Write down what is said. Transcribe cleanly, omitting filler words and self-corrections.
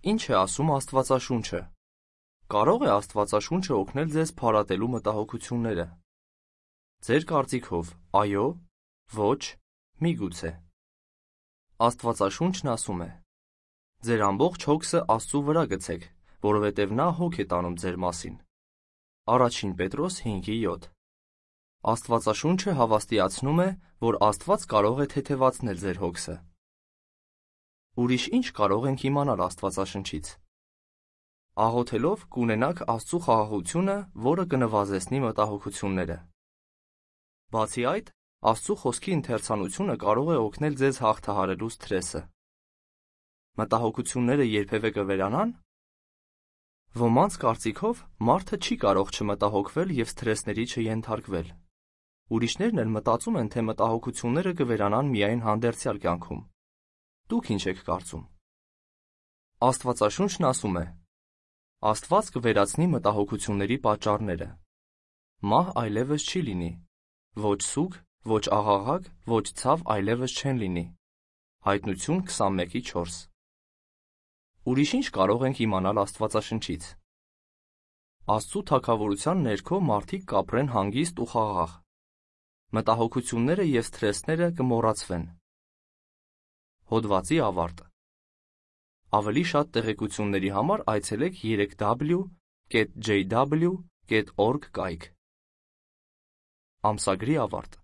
Ինչ է ասում Աստվածաշունչը։ Կարո՞ղ է Աստվածաշունչը օգնել ձեզ փարատելու մտահոգությունները։ Ձեր կարծիքով, այո, ոչ, միգուցե։ Աստվածաշունչն ասում է. ձեր ամբողջ հոգսը Աստծու վրա գցեք, որովհետև նա հոգ է տանում ձեր մասին։ Առաջին Պետրոս 5:7։ Աստվածաշունչը հավաստիացնում է, որ Աստված կարող է թեթևացնել ձեր հոգսը։ Ուրիշ ինչ կարող ենք իմանալ Աստվածաշնչից։ Աղոթելով կունենաք Աստծու խաղաղությունը, որը կնվազեցնի մտահոգությունները։ Բացի այդ, Աստծու խոսքի ընթերցանությունը կարող է օգնել ձեզ հաղթահարելու սթրեսը։ Մտահոգությունները երբևէ կվերանան։ Ոմանց կարծիքով մարդը չի կարող չմտահոգվել և սթրեսների չենթարկվել։ Ուրիշներն էլ մտածում են, թե մտահոգությունները կվերանան միայն հանդերձյալ կյանքում։ Դուք ինչ եք կարծում։ Աստվածաշունչն ասում է. Աստված կվերացնի մտահոգությունների պատճառները։ Մահ այլևս չի լինի։ Ոչ սուգ, ոչ աղաղակ, ոչ ցավ այլևս չեն լինի։ Հայտնություն 21:4։ Ուրիշ ինչ կարող ենք իմանալ Աստվածաշնչից։ Աստծու թագավորության ներքո մարդիկ կապրեն հանգիստ ու խաղաղ։ Մտահոգությունները և սթրեսները կմոռացվեն։ Հոդվացի ավարտ։ Ավելի շատ տեղեկությունների համար այցելեք 3w.jw.org կայք։ Ամսագրի ավարտ։